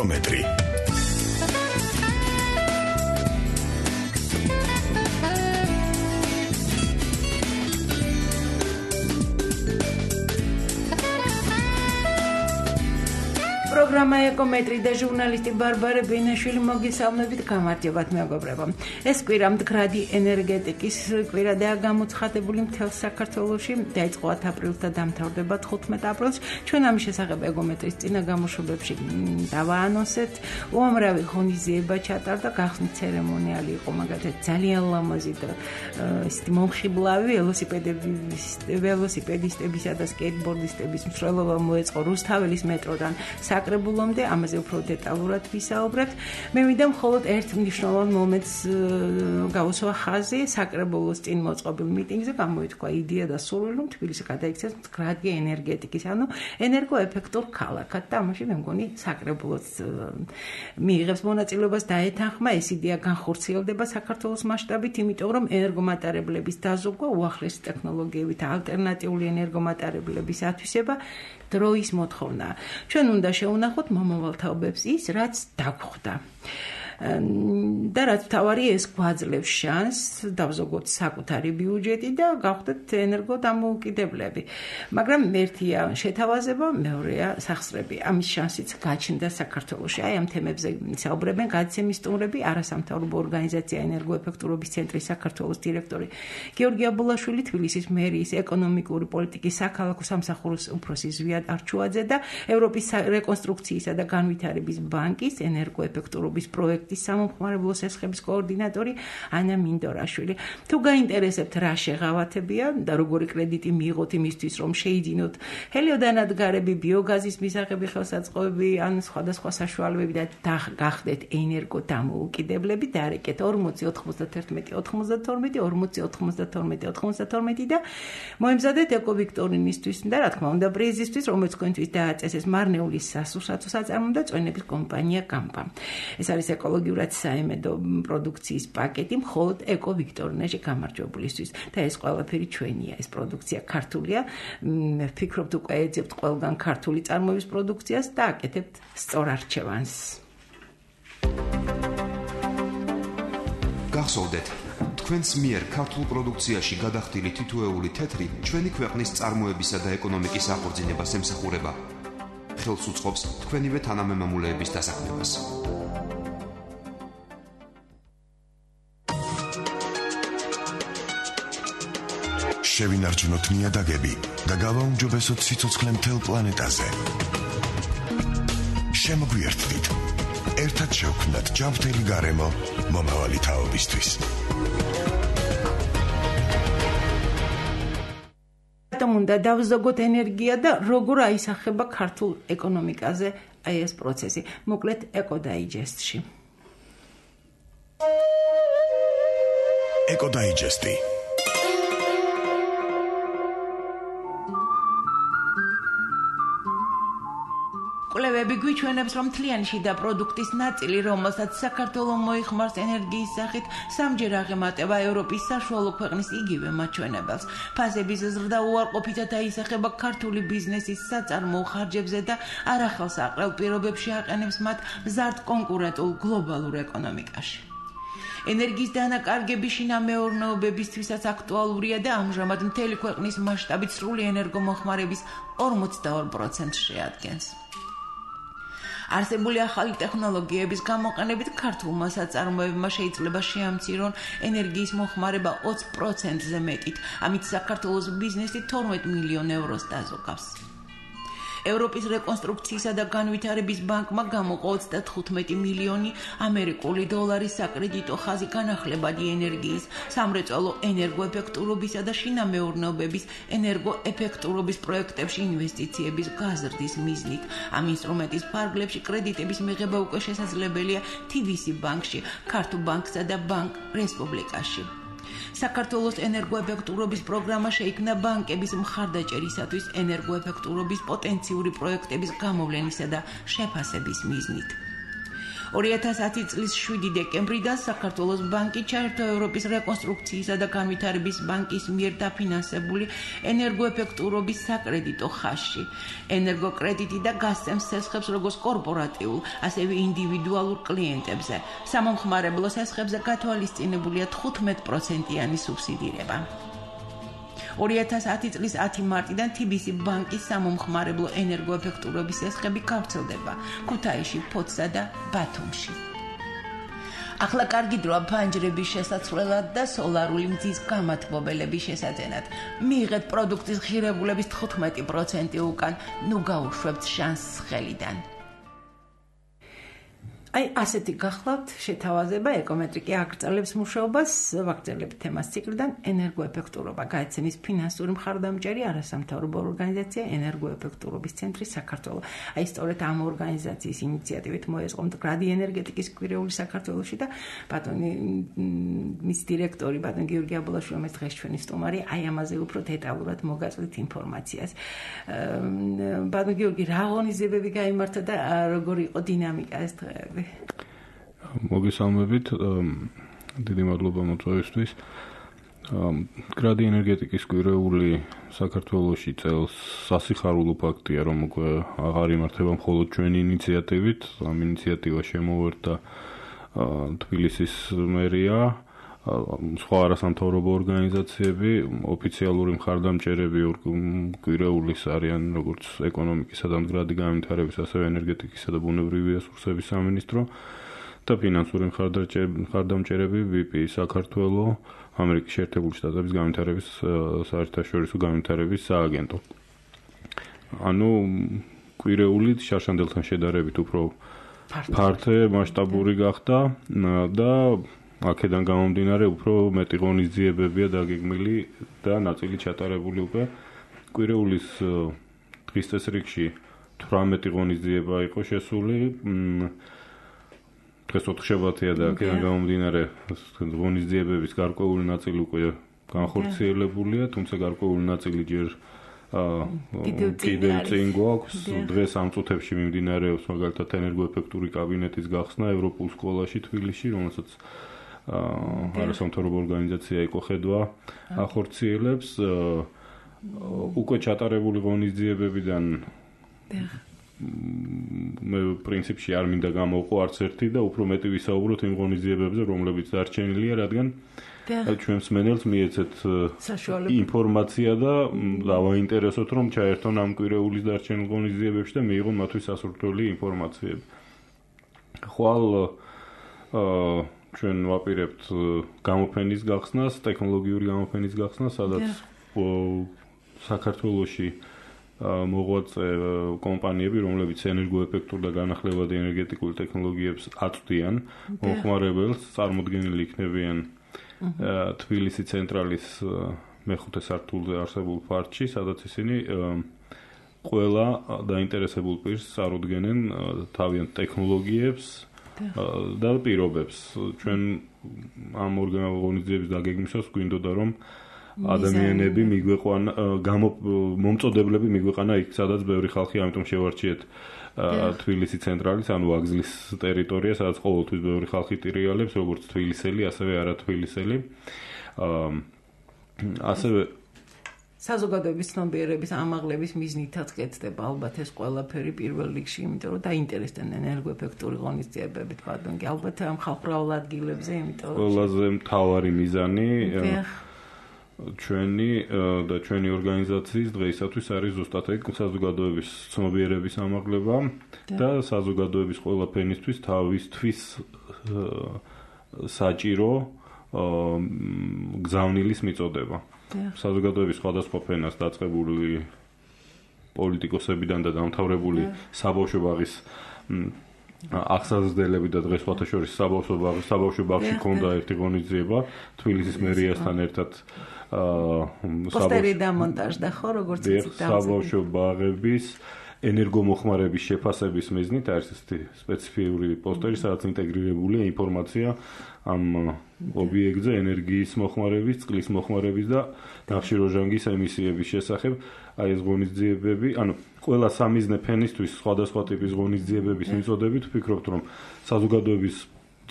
ეკომეტრი. პროგრამა ეკომეტრი და ჟურნალისტი ბარბარე ბენაშვილი მოგესალმებით, გამარჯობათ მეგობრებო. ეს კვირა მდგრადი ენერგეტიკის კვირადაა გამოცხადებული მთელ საქართველოში. დაიწყო 10 აპრილს და დამთავრდება 15 აპრილს. ჩვენ ამის შესახებ ეკომეტრის წინა გამოშვებებში დავაანონსეთ. უამრავი ღონისძიება ჩატარდა, გახსნის ცერემონიალი იყო მაგალითად ძალიან ლამაზი და ისეთი მომხიბლავი ველოსიპედისტებისა და სკეიტბორდისტების მსვლელობა მოეწყო რუსთაველის მეტროდან საკრებულომდე, ამაზე უფრო დეტალურად ვისაუბრებთ. მე მინდა მხოლოდ ერთ მნიშვნელოვან მომენტს გავუსვა ხაზი. საკრებულოს წინ მოწყობილ მიტინგზე გამოითქვა იდეა და სურვილი, რომ თბილისი გადაიქცეს მდგრადი ენერგეტიკის, ანუ ენერგოეფექტურ ქალაქად და ამაში მე მგონი საკრებულოს მიიღებს მონაწილეობას დაეთანხმა. ეს იდეა განხორციელდება საქართველოს მასშტაბით, იმიტომ რომ ენერგომატარებლების დაზოგვა, უახლესი ტექნოლოგიებით ალტერნატიული ენერგომატარებლების ათვისება დროის მოთხოვნაა. ჩვენ უნდა შევუნახოთ მომავალ თაობებს ის, რაც დაგვხვდა. და რაც თავარი ეს გვაძლევს შანსს დავზოგოთ საკუთარი ბიუჯეტი და გავხდეთ ენერგოდამოუკიდებლები. მაგრამ ერთია შეთავაზება, მეორეა სახსრები. ამის შანსიც გაჩნდა საქართველოში. აი ამ თემებზე საუბრებენ გადაცემის სტუმრები, არასამთავრობო ორგანიზაცია ენერგოეფექტურობის ცენტრის საქართველოს დირექტორი გიორგი აბულაშვილი, თბილისის მერიის ეკონომიკური პოლიტიკის საქალაქო სამსახურის უფროსი ზვიად არჩუაძე და ევროპის რეკონსტრუქციისა და განვითარების ბანკის ენერგოეფექტურობის პროექტის სამომხმარებლო სესხების კოორდინატორი ანა მინდორაშვილი. თუ გაინტერესებთ რა შეღავათებია და როგორი კრედიტი მიიღოთ იმისთვის, რომ შეიძინოთ ჰელიოდანადგარები, ბიოგაზის მისაღები ხელსაწყოები, ან სხვადასხვა საშუალებები და გახდეთ ენერგოდამოუკიდებლები, დაარეკეთ 40 91 92 40 92 92 და მოემზადეთ ეკოვიქტორინისთვის და რა თქმა უნდა პრიზისთვის, რომელიც თქვენთვის დააწესეს მარნეულის სასურსათო საწარმო და წვენების კომპანია კამპა. ეს არის ეკოლოგიურად საიმედო პროდუქციის პაკეტი მხოლოდ ეკოვიქტორინაში გამარჯვებულისთვის და ეს ყველაფერი ჩვენია. ეს პროდუქცია ქართულია. ვფიქრობთ უკვე ეძებთ ყველგან ქართული წარმოების პროდუქციას და აკეთებთ სწორ არჩევანს. გახსოვდეთ, თქვენს მიერ ქართულ პროდუქციაში გადახდილი თითოეული თეთრი ჩვენი ქვეყნის წარმოებისა და ეკონომიკის აღორძინებას ემსახურება. ხელს უწყობს თქვენივე თანამემამულეების დასაქმებას. შევინარჩუნოთ ნიადაგები და გავაუმჯობესოთ სიცოცხლე მთელ პლანეტაზე. შემოგვიერთდით. ერთად შევქმნათ ჯანმრთელი გარემო მომავალი თაობისთვის. უნდა დავზოგოთ ენერგია და როგორ აისახება ქართულ ეკონომიკაზე აი ეს პროცესი. მოკლედ ეკოდაიჯესტში. ეკოდაიჯესტი. კვლევები გვიჩვენებს, რომ მთლიანი შიდა პროდუქტის ნაწილი, რომელსაც საქართველო მოიხმარს ენერგიის სახით, სამჯერ აღემატება ევროპის საშუალო ქვეყნის იგივე მაჩვენებელს. ფასების ზრდა უარყოფითად აისახება ქართული ბიზნესის საწარმო ხარჯებზე და არახელს აყრელ პირობებში აყენებს მათ მზარდ კონკურენტულ გლობალურ ეკონომიკაში. ენერგიის დანაკარგები შინამეურნეობებისთვისაც აქტუალურია და ამჟამად მთელი ქვეყნის მასშტაბით სრული ენერგომოხმარების 42% შეადგენს. არსებული ახალი ტექნოლოგიების გამოყენებით ქართულმა საწარმოებმა შეიძლება შეამცირონ ენერგიის მოხმარება 20%-ზე მეტით, ამით საქართველოს ბიზნესი 12 მილიონ ევროს დაზოგავს. ევროპის რეკონსტრუქციისა და განვითარების ბანკმა გამოყო 35 მილიონი ამერიკული დოლარის საკრედიტო ხაზი განახლებადი ენერგიის, სამრეწველო ენერგოეფექტურობისა და შინამეურნეობების ენერგოეფექტურობის პროექტებში ინვესტიციების გაზრდის მიზნით. ამ ინსტრუმენტის ფარგლებში კრედიტების მიღება უკვე შესაძლებელია TVC ბანკში, ქართულ ბანკსა და ბანკ რესპუბლიკაში. საქართველოს ენერგოეფექტურობის პროგრამა შეიქმნა ბანკების მხარდაჭერისათვის ენერგოეფექტურობის პოტენციური პროექტების გამოვლენისა და შეფასების მიზნით. 2010 წლის 7 დეკემბრიდან საქართველოს ბანკი ჩაერთო ევროპის რეკონსტრუქციისა და განვითარების ბანკის მიერ დაფინანსებული ენერგოეფექტურობის საკრედიტო ხაზში. ენერგოკრედიტი და გასცემს სესხებს როგორც კორპორატიულ, ასევე ინდივიდუალურ კლიენტებზე. სამომხმარებლო სესხებზე გათვალისწინებულია 15%-იანი სუბსიდირება. 2010 წლის 10 მარტიდან TBC ბანკის სამომხმარებლო ენერგოეფექტურობის სესხები გავრცელდება ქუთაისში, ფოთსა და ბათუმში. ახლა კარგი დროა ფანჯრების შესაცვლელად და სოლარული მზის გამათბობელების შესაძენად. მიიღეთ პროდუქტის ღირებულების 15% უკან, ნუ გაუშვებთ შანსს ხელიდან. აი, ასეთი გახლავთ შეთავაზება ეკომეტრიკი აგრძელებს მუშაობას, ვაგრძელებთ თემას ციკლიდან ენერგოეფექტურობა. გაეცემის ფინანსური მხარდამჭერი არასამთავრობო ორგანიზაცია ენერგოეფექტურობის ცენტრი საქართველოს. აი, სწორედ ამ ორგანიზაციის ინიციატივით მოეწყო მდგრადი ენერგეტიკის კვირეული საქართველოში და ბატონი მის დირექტორი ბატონი გიორგი აბულაშვილი, რომელიც დღეს ჩვენი სტუმარი, აი ამაზე უფრო დეტალურად მოგაწვით ინფორმაციას. ბატონი გიორგი, რა ღონისძიებები გაიმართა და როგორი იყო დინამიკა ეს დღეები? მოგესალმებით, დიდი მადლობა მოწვევისთვის. მდგრადი ენერგეტიკის კვირეული საქართველოში წელს სასიხარულო ფაქტია, რომ უკვე აღარ იმართება მხოლოდ ჩვენი ინიციატივით. ამ ინიციატივას შემოუერთდა თბილისის მერია, სხვა არასამთავრობო ორგანიზაციები, ოფიციალური მხარდამჭერები კვირეულის არიან როგორც ეკონომიკისა და მდგრადი განვითარების, ასევე ენერგეტიკისა და ბუნებრივი რესურსების სამინისტრო და ფინანსური მხარდამჭერები VP საქართველოს, ამერიკის შეერთებული შტატების განვითარების საერთაშორისო განვითარების სააგენტო. ანუ კვირეული შარშანდელთან შედარებით უფრო ფართე, მასშტაბური გახდა და აქედან გამომდინარე უფრო მეტი ღონისძიებებია დაგეგმილი და ნაწილი ჩატარებული უკვე. კვირეულის დღის წესრიგში 18 ღონისძიება იყო შესული. დღეს 4-შაბათია და აქედან გამომდინარე ღონისძიებების გარკვეული ნაწილი უკვე განხორციელებულია, თუმცა გარკვეული ნაწილი ჯერ კიდევ წინ გვაქვს. დღეს ამ წუთებში მიმდინარეობს მაგალითად ენერგოეფექტური კაბინეტის გახსნა ევროპულ სკოლაში თბილისში, რომელსაც არასამთავრობო ორგანიზაცია ეკოხედვა ახორციელებს. უკვე ჩატარებული ღონისძიებებიდან მე პრინციპში არ მინდა გამოვყო არც ერთი და უფრო მეტი ვისაუბროთ იმ ღონისძიებებზე, რომლებიც დარჩენილია, რადგან ჩვენ მსმენელს მიეცეთ ინფორმაცია და დავაინტერესოთ, რომ ჩაერთონ ამ კვირეულის დარჩენილ ღონისძიებებში და მიიღონ მათთვის სასურველი ინფორმაციები. ხვალ ჩვენ ვაპირებთ გამოფენის გახსნას, ტექნოლოგიური გამოფენის გახსნას, სადაც საქართველოში მოღვაწე კომპანიები, რომლებიც ენერგოეფექტურ და განახლებადი ენერგეტიკულ ტექნოლოგიებს აწვდიან მომხმარებელს, წარმოდგენილი იქნებიან თბილისის ცენტრალის მეხუთე სართულზე არსებულ ფარჩში, სადაც ისინი ყველა დაინტერესებულ პირს წარუდგენენ თავიანთ ტექნოლოგიებს და პირობებს. ჩვენ ამ ორგანიზაციების დაგეგმისას გვინდოდა რომ ადამიანები მიგვეყვანა, მომწოდებლები მიგვეყვანა იქ, სადაც ბევრი ხალხი, ამიტომ შევარჩიეთ თბილისის ცენტრალის, ანუ ვაგზლის ტერიტორია, სადაც ყოველთვის ბევრი ხალხი ტრიალებს, როგორც თბილისელი, ასევე არათბილისელი. ასევე საზოგადოების ცნობიერების ამაღლების მიზნითაც კეთდება ალბათ ეს ყველაფერი პირველ რიგში, იმიტომ რომ დაინტერესდნენ ენერგოეფექტური ღონისძიებებით, ბატონი, ალბათ ამ ხალხურ ადგილებზე, იმიტომ რომ ყველაზე მთავარი მიზანი ჩვენი ორგანიზაციის დღეისათვის არის ზუსტად ეგ საზოგადოების ცნობიერების ამაღლება და საზოგადოების ყველა ფენისთვის თავისთვის საჭირო გზავნილის მიწოდება. საზოგადოების სხვადასხვა ფენას დაწყებული პოლიტიკოსებიდან და დამთავრებული საბავშვო ბაღის აღსაზრდელები და დღეს სხვათა შორის საბავშვო ბაღში ქონდა ერთი ღონისძიება თბილისის მერიასთან ერთად პოსტერი დამონტაჟდა ხო როგორც იცით საბავშვო ბაღების ენერგომოხმარების შეფასების მიზნით არის ესეთი სპეციფიური პოსტერი, სადაც ინტეგრირებულია ინფორმაცია ამ ობიექტზე ენერგიის მოხმარების, წყლის მოხმარების და ნახშირორჟანგის ემისიების შესახებ. Აი ეს ღონისძიებები, ანუ ყველა სამიზნე ფენისთვის სხვადასხვა ტიპის ღონისძიებების მიწოდებით ვფიქრობთ, რომ საზოგადოების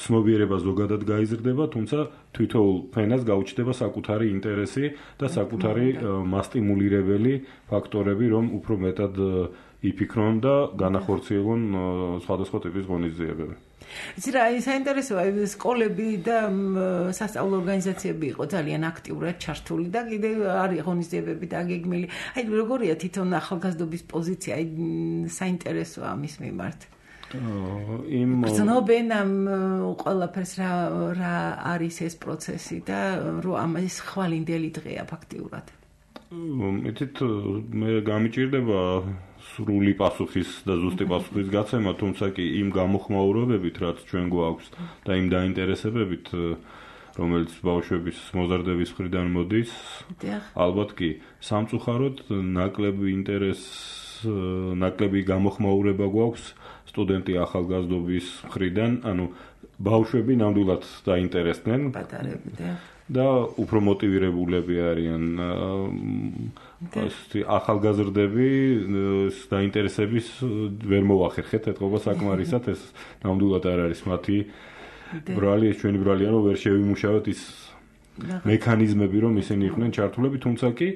ცნობიერება ზოგადად გაიზრდება, თუმცა თვითოულ ფენას გაუჩნდება საკუთარი ინტერესი და საკუთარი მასტიმულირებელი ფაქტორები, რომ უფრო მეტად იფიქრონ და განახორციელონ სხვადასხვა ტიპის ღონისძიებები. იცი რა, საინტერესოა, სკოლები და სასწავლო ორგანიზაციები იყო ძალიან აქტიურად ჩართული და კიდევ არის ღონისძიებები დაგეგმილი. აი როგორია თვითონ ახალგაზრდობის პოზიცია, აი საინტერესოა ამის მიმართ. გრძნობენ ამ ყველაფერს რა არის ეს პროცესი და რო ამას ხვალინდელი დღეა ფაქტიურად. იცით, მე გამიჭირდება სრული პასუხის და ზუსტი პასუხის გაცემა, თუმცა კი იმ გამოხმაურებებით, რაც ჩვენ გვაქვს და იმ დაინტერესებებით, რომელიც ბავშვების მოზარდების მხრიდან მოდის, ალბათ კი სამწუხაროდ ნაკლები გამოხმაურება გვაქვს სტუდენტი ახალგაზრდობის მხრიდან, ანუ ბავშვები ნამდვილად დაინტერესდნენ და უფრო მოტივირებულები არიან ახალგაზრდები დაინტერესების ვერ მოახერხეთ ეთყობა საკმარისად, ეს ნამდვილად არ არის მათი ბრალი, ეს ჩვენი ბრალია, რომ ვერ შევიმუშავოთ ის მექანიზმები, რომ ისინი იყვნენ ჩართულები, თუმცა კი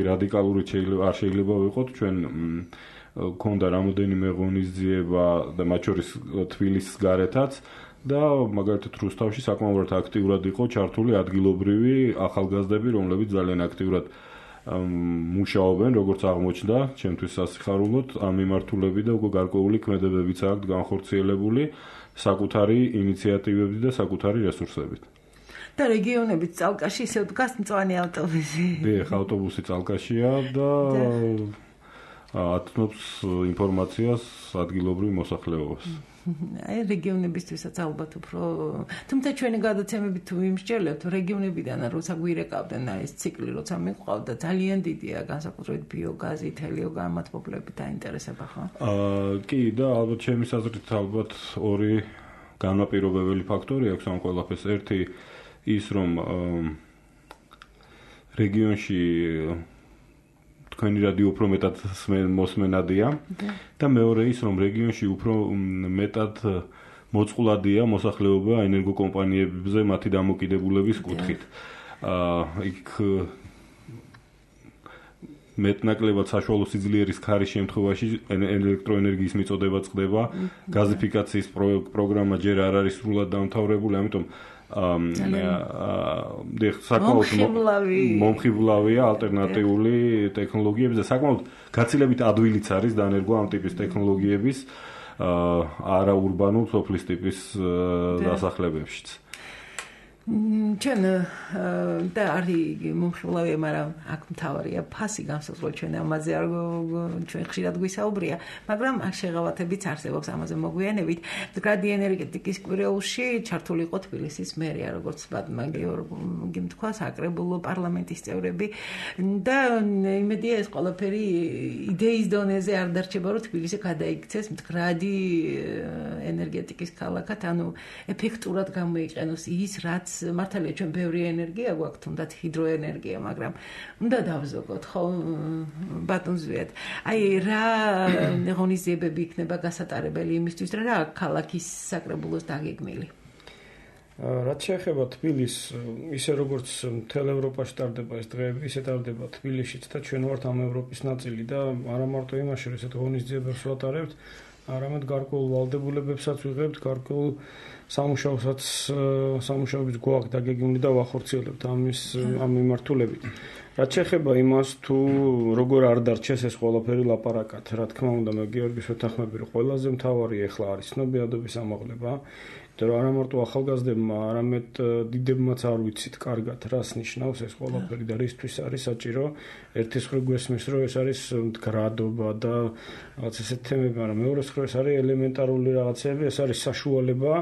რადიკალური არ შეიძლება ვიყოთ, ჩვენ ქონდა რამოდენიმე ღონისძიება და მათ შორის თბილისის გარეთაც და მაგალითად რუსთავში საკმაოდ აქტიურად იყო ჩართული ადგილობრივი ახალგაზრდები, რომლებიც ძალიან აქტიურად მუშაობენ, როგორც აღმოჩნდა, ჩემთვის სასიხარულოდ, ამ მიმართულები და უკვე გარკვეული ქმედებებიც აქვს განხორციელებული საკუთარი ინიციატივებით და საკუთარი რესურსებით. და რეგიონებით წალკაში ისე დგას მწვანე ავტობუსი. დიახ, ავტობუსი წალკაშია და ათნობს ინფორმაციას ადგილობრივ მოსახლეობას. აი რეგიონებისთვისაც ალბათ უფრო, თუმცა ჩვენი გადაცემებით თუ ვიმსჯელებთ, რეგიონებიდან როცა გვირეკავდნენ ეს ციკლი, როცა მიყვავდა, ძალიან დიდია განსაკუთრებით ბიოგაზი, თელიოგამათბობლები დაინტერესება, ხო? კი, და ალბათ ჩემი აზრით ალბათ ორი განმაპირობებელი ფაქტორი აქვს ამ ყველაფერს. ერთი ის, რომ რეგიონში თქვენი რადიო უფრო მეტად მოსმენადია და მეორე ის, რომ რეგიონში უფრო მეტად მოწყვლადია მოსახლეობა ენერგოკომპანიებზე მათი დამოკიდებულების კუთხით. იქ მეტნაკლებად საშუალო სიძლიერის ქარის შემთხვევაში ელექტროენერგიის მიწოდება წყდება, გაზიფიკაციის პროგრამა ჯერ არ არის სრულად დამთავრებული, ამიტომ საკმაოდ მომხიბლავია ალტერნატიული ტექნოლოგიების და საკმაოდ გაცილებით ადვილიც არის დანერგვა ამ ტიპის ტექნოლოგიების არაურბანულ სოფლის ტიპის დასახლებებშიც. ჩვენ და არის მომხიბლავია, მაგრამ აქ მთავარია ფასი განსაზღვრა, ჩვენ ამაზე არ ჩვენ ხშირად გვისაუბრია, მაგრამ აქ შეღავათებიც არსებობს, ამაზე მოგვიანებით. მდგრადი ენერგეტიკის კვირეულში ჩართული იყო თბილისის მერია, როგორც ბატონმა გიორგიმ თქვა, საკრებულო პარლამენტის წევრები და იმედია ეს ყველაფერი იდეის დონეზე არ დარჩება, რომ თბილისი გადაიქცეს მდგრადი ენერგეტიკის ქალაქად, ანუ ეფექტურად გამოიყენოს ის, რაც მართალია ჩვენ ბევრი ენერგია გვაქვს, თუნდაც ჰიდროენერგია, მაგრამ უნდა დავზოგოთ, ხო, ბატონ ზვიად. აი რა ღონისძიებები იქნება გასატარებელი იმისთვის, რა ქალაქის საკრებულოს დაგეგმილი? რაც შეეხება თბილისს, ისე როგორც მთელ ევროპაში ტარდება ეს დღეები, ისე ტარდება თბილისშიც და ჩვენ ვართ ამ ევროპის ნაწილი და არა მარტო იმაში, რომ ესეთ ღონისძიებებს ვატარებთ, არამედ გარკვეულ ვალდებულებებსაც ვიღებთ, გარკვეულ სამუშაოების გვაქვს დაგეგმილი და ვახორციელებთ ამ მიმართულებით. რაც შეეხება იმას, თუ როგორ არ დარჩეს ეს ყველაფერი ლაპარაკად, რა თქმა უნდა, მე გიორგის ვეთანხმები, რომ ყველაზე მთავარი ახლა არის ცნობიერების ამაღლება, იმიტომ რომ არა მარტო ახალგაზრდებმა, არამედ დიდებმაც არ ვიცით კარგად, რას ნიშნავს ეს ყველაფერი და რისთვის არის საჭირო. ერთის მხრივ გვესმის, რომ ეს არის მდგრადობა და რაღაც ესეთ თემები, მაგრამ მეორეს მხრივ ეს არის ელემენტარული რაღაცები, ეს არის საშუალება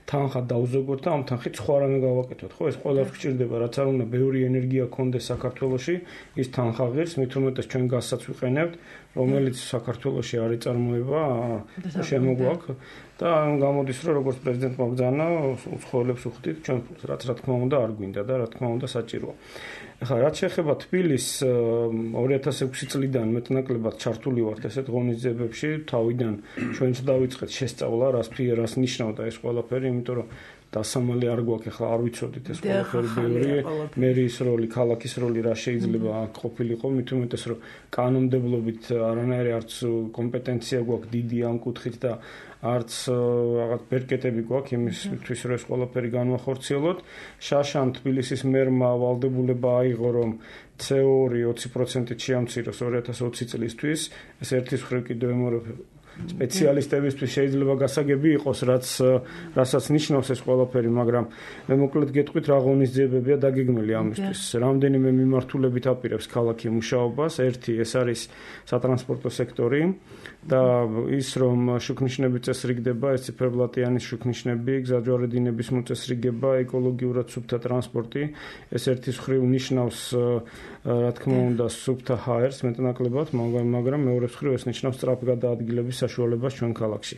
თანხა დავზოგოთ და ამ თანხით სხვა რამე გავაკეთოთ. ხო, ეს ყველაფერი გჭირდება, რაც არ უნდა ბევრი ენერგია გქონდეს საქართველოში, ის თანხა ღირს, მით უმეტეს ჩვენ გაზსაც ვიყენებთ, რომელიც საქართველოში არის წარმოება შემოგვაქვს და გამოდის რომ როგორც პრეზიდენტმა ბრძანა უცხოელებს უხდით ჩვენ რაც რა თქმა უნდა არ გვინდა და რა თქმა უნდა საჭიროა. ახლა რაც შეეხება თბილისს 2006 წლიდან მეტნაკლებად ჩართული ვართ ესეთ ღონისძიებებში თავიდან ჩვენც დავიწყეთ შესწავლა რას ნიშნავდა ეს ყველაფერი იმიტომ რომ დასამალი არ გვაქვს ახლა არ ვიცოდით ეს ყველაფერი ბევრი მერის როლი ქალაქის როლი რა შეიძლება ყოფილიყო მით უმეტეს რომ კანონმდებლობით არანაირი არც კომპეტენცია გვაქვს დიდი ამ კუთხით და არც რაღაც ბერკეტები გვაქვს იმისთვის რომ ეს ყველაფერი განვახორციელოთ. შაშან თბილისის მერმა ვალდებულება აიღო რომ CO2 20%-ით შეამციროს 2020 წლისთვის ეს ერთის მხრივ კიდევ ემორებ სპეციალისტებისთვის შეიძლება გასაგები იყოს რასაც ნიშნავს ეს ყველაფერი, მაგრამ მე მოკლედ გეტყვით რა ღონისძიებებია დაგეგმილი ამისთვის. რამდენიმე მიმართულებით აპირებს ქალაქი მუშაობას. ერთი ეს არის სატრანსპორტო სექტორი და ის რომ შუქნიშნები წესრიგდება, ეს ციფერბლატიანის შუქნიშნები, გზაჯვარედინების მოწესრიგება, ეკოლოგიურად სუფთა ტრანსპორტი, ეს ერთის მხრივ ნიშნავს რა თქმა უნდა სუფთა ჰაერს მეტნაკლებად, მაგრამ მეორე მხრივ ეს ნიშნავს სწრაფ გადაადგილების საშუალებას ჩვენ ქალაქში.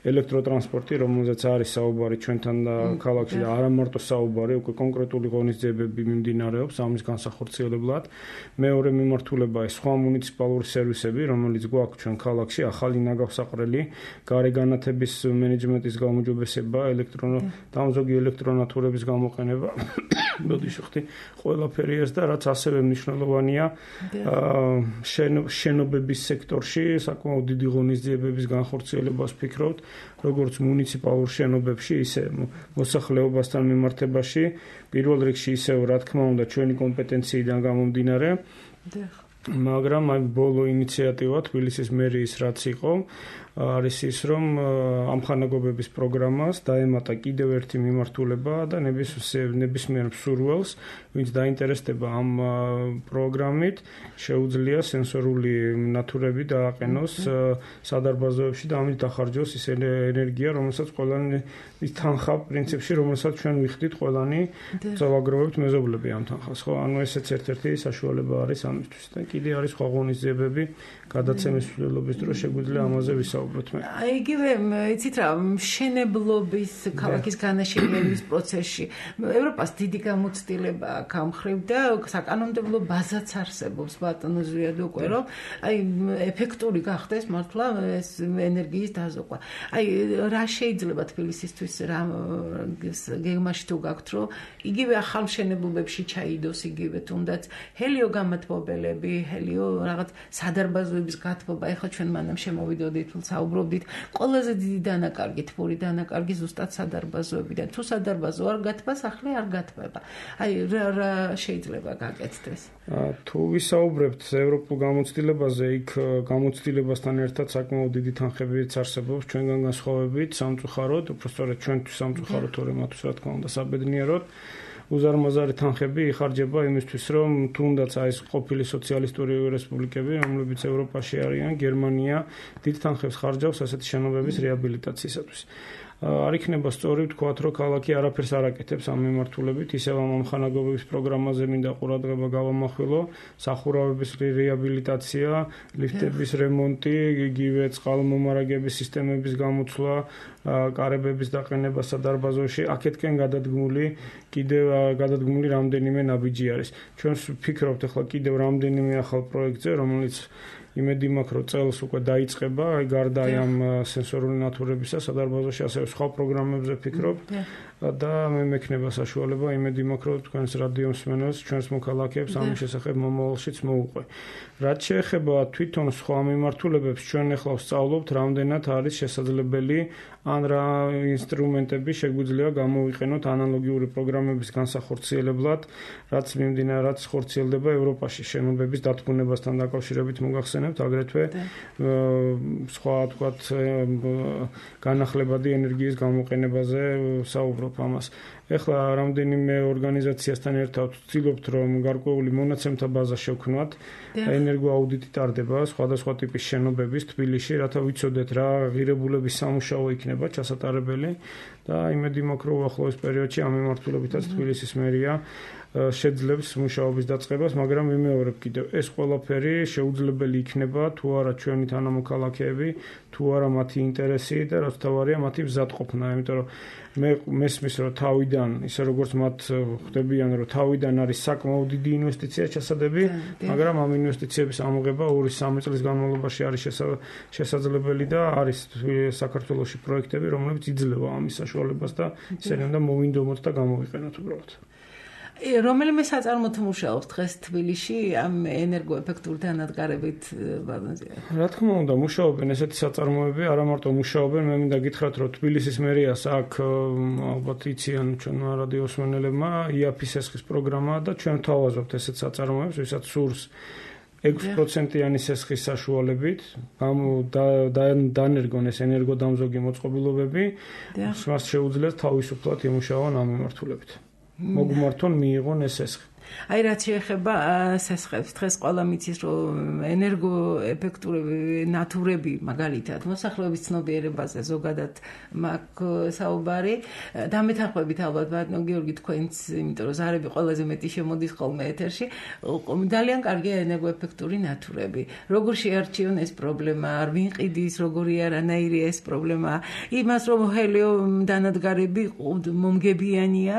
ელექტროტრანსპორტი, რომელზეც არის საუბარი ჩვენთან ქალაქში და არა მარტო საუბარი, უკვე კონკრეტული ღონისძიებები მიმდინარეობს ამის განსახორციელებლად. მეორე მიმართულება ეს სხვა მუნიციპალური სერვისები, რომელიც გვაქვს ჩვენ ქალაქში, ახალი ნაგავსაყრელი, გარეგანათების მენეჯმენტის გაუმჯობესება, დამზოგი ელექტრონათურების გამოყენება. ბოდიშხტი ყველაფერი ეს და რაც ასევე მნიშვნელოვანია შენობების სექტორში საკმაოდ დიდი ღონისძიებების განხორციელებას ვფიქრობთ, როგორც მუნიციპალურ შენობებში, ისე მოსახლეობასთან მიმართებაში, პირველ რიგში ისევ რა თქმა უნდა ჩვენი კომპეტენციიდან გამომდინარე. მაგრამ აი ბოლო ინიციატივა თბილისის მერიის რაც იყო არის ის რომ ამხანაგობების პროგრამას დაემატა კიდევ ერთი მიმართულება და ნებისმიერ მსურველს ვინც დაინტერესდება ამ პროგრამით შეუძლია სენსორული ნათურები დააყენოს სადარბაზოებში და ამით დახარჯოს ის ენერგია რომელსაც ყველანი ის თანხა პრინციპში რომელსაც ჩვენ ვიხდით ყველანი წავაგროვებთ მეზობლები ამ თანხას ხო ანუ ესეც ერთ-ერთი საშუალება არის ამისთვის და კიდე არის სხვა ღონისძიებები გადაცემის მსვლელობის დროს შეგვიძლია ამაზე ვისაუბროთ მე. აი იგივე იცით რა მშენებლობის ქალაქის განაშენების პროცესში ევროპას დიდი გამოცდილება აქვს ამ ხრივ და საკანონმდებლო ბაზაც არსებობს ბატონო ზვიად უკვე რომ აი ეფექტური გახდეს მართლა ეს ენერგიის დაზოგვა. აი რა შეიძლება თბილისისთვის რა გეგმაში თუ გაქვთ რომ იგივე ახალ მშენებლობებში ჩაიდოს იგივე თუნდაც ჰელიო გამათბობელები ჰელიო რაღაც სადარბაზოების გათბობა ეხლა ჩვენ მანამ შემოვიდოდით საუბრობდით ყველაზე დიდი დანაკარგი თბური დანაკარგი ზუსტად სადარბაზოებიდან თუ სადარბაზო არ გათბა სახლი არ გათბება აი რა შეიძლება გაკეთდეს თუ ვისაუბრებთ ევროპულ გამოცდილებაზე იქ გამოცდილებასთან ერთად საკმაოდ დიდი თანხებიც არსებობს ჩვენგან განსხვავებით სამწუხაროდ უბრალოდ ჩვენთვის სამწუხაროდ თორემ მათთვის რა თქმა უნდა საბედნიეროდ უზარმაზარი თანხები იხარჯება იმისთვის, რომ თუნდაც აი ეს ყოფილი სოციალისტური რესპუბლიკები, რომლებიც ევროპაში არიან, გერმანია დიდ თანხებს ხარჯავს ასეთი შენობების რეაბილიტაციისათვის. არ იქნება სწორი ვთქვათ, რომ ქალაქი არაფერს არ აკეთებს ამ მიმართულებით, ისევ ამ ამხანაგობების პროგრამაზე მინდა ყურადღება გავამახვილო, სახურავების რეაბილიტაცია, ლიფტების რემონტი, იგივე წყალმომარაგების სისტემების გამოცვლა, კარებების დაყენება სადარბაზოში, აქეთკენ გადადგმული რამდენიმე ნაბიჯი არის. ჩვენ ვფიქრობთ ახლა კიდევ რამდენიმე ახალ პროექტზე, რომელიც იმედი მაქვს რომ წელს უკვე დაიწყება, აი გარდა ამ სენსორული ნათურებისა სადარბაზოში ასევე სხვა პროგრამებზე ვფიქრობ და მე მექნება საშუალება იმედი მაქვს რომ თქვენს რადიო მსმენელს ჩვენს მოქალაქეებს ამის შესახებ მომავალშიც მოუყვე. რაც შეეხება თვითონ სხვა მიმართულებებს ჩვენ ახლა ვსწავლობთ რამდენად არის შესაძლებელი ან რა ინსტრუმენტები შეგვიძლია გამოვიყენოთ ანალოგიური პროგრამების განსახორციელებლად, რაც ხორციელდება ევროპაში შენობების დათბუნებასთან დაკავშირებით მოგახსენებთ, აგრეთვე სხვა თქვათ განახლებადი ენერგიის გამოყენებაზე საუბრობ ამას. ეხლა რამდენიმე ორგანიზაციასთან ერთად ვცდილობთ რომ გარკვეული მონაცემთა ბაზა შევქმნათ. ენერგოაუდიტი ტარდება სხვადასხვა ტიპის შენობების თბილისში, რათა ვიცოდეთ რა ღირებულების სამუშაო იქნება ჩასატარებელი და იმედი მაქვს რომ უახლოეს პერიოდში ამ მიმართულებითაც თბილისის მერია შეძლებს მუშაობის დაწყებას, მაგრამ ვიმეორებ კიდევ ეს ყველაფერი შეუძლებელი იქნება თუ არა ჩვენი თანამოქალაქეები, თუ არა მათი ინტერესი და რაც თავარია მათი მზადყოფნა, იმიტომ რომ მე მესმის რომ თავიდან ისე როგორც მათ ხდებიან რომ თავიდან არის საკმაოდ დიდი ინვესტიცია ჩასადები, მაგრამ ამ ინვესტიციების ამოღება 2-3 წლის განმავლობაში არის შესაძლებელი და არის საქართველოში პროექტები, რომლებიც იძლევა ამის საშუალებას და ისინი უნდა მოვინდომოთ და გამოვიყენოთ უბრალოდ. რომელიმე საწარმოოდ მუშაობს დღეს თბილისში ამ ენერგოეფექტური დანადგარებით ბაზაზე? რა თქმა უნდა, მუშაობენ ესეთი საწარმოები, არა მარტო მუშაობენ, მე მინდა გითხრათ, რომ თბილისის მერიას აქ ალბათ იციან ჩვენმა რადიოსმენელებმა IAP-ის ესხის პროგრამა და ჩვენ ვთავაზობთ ესეთ საწარმოებს, ვისაც სურს 6%-იანი სესხის საშუალებით დანერგონ ეს ენერგოდამზოგი მოწყობილობები, მას შეუძლიათ თავისუფლად იმუშაონ ამ მიმართულებით. მოგმართონ მიიღონ ეს სესხი. აი რაც შეეხება სესხებს, დღეს ყველა მიცის რომ ენერგოეფექტურები ნატურები მაგალითად მოსახლეობის ცნობიერებაზე ზოგადად მაქვს საუბარი. დამეთანხმებით ალბათ ბატონო გიორგი თქვენც, იმიტომ რომ ზარები ყველაზე მეტი შემოდის ხოლმე ეთერში, ძალიან კარგია ენერგოეფექტური ნატურები. როგორ შეარჩიონ ეს პრობლემა, არ ვინყიდის, როგორი არანაირი ეს პრობლემა. იმას რომ ჰელიო დანადგარები მომგებიანია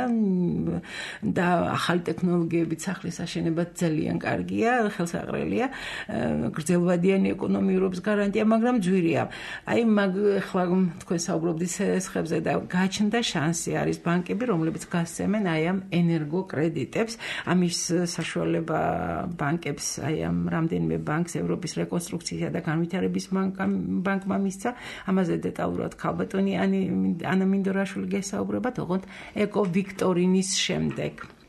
და ახალი ტექნოლოგიები სახლის აშენებად ძალიან კარგია, ხელსაყრელია, გრძელვადიანი ეკონომიურობის გარანტია, მაგრამ ძვირია. აი ახლა თქვენ საუბრობდით სესხებზე და გაჩნდა შანსი, არის ბანკები, რომლებიც გასცემენ აი ამ ენერგოკრედიტებს. ამის საშუალება ბანკებს, აი ამ რამდენიმე ბანკს ევროპის რეკონსტრუქციისა და განვითარების ბანკმა მისცა. ამაზე დეტალურად ქალბატონი ანა მინდორაშვილი გესაუბრებათ, ოღონდ ეკო ვიქტორინის შემდეგ.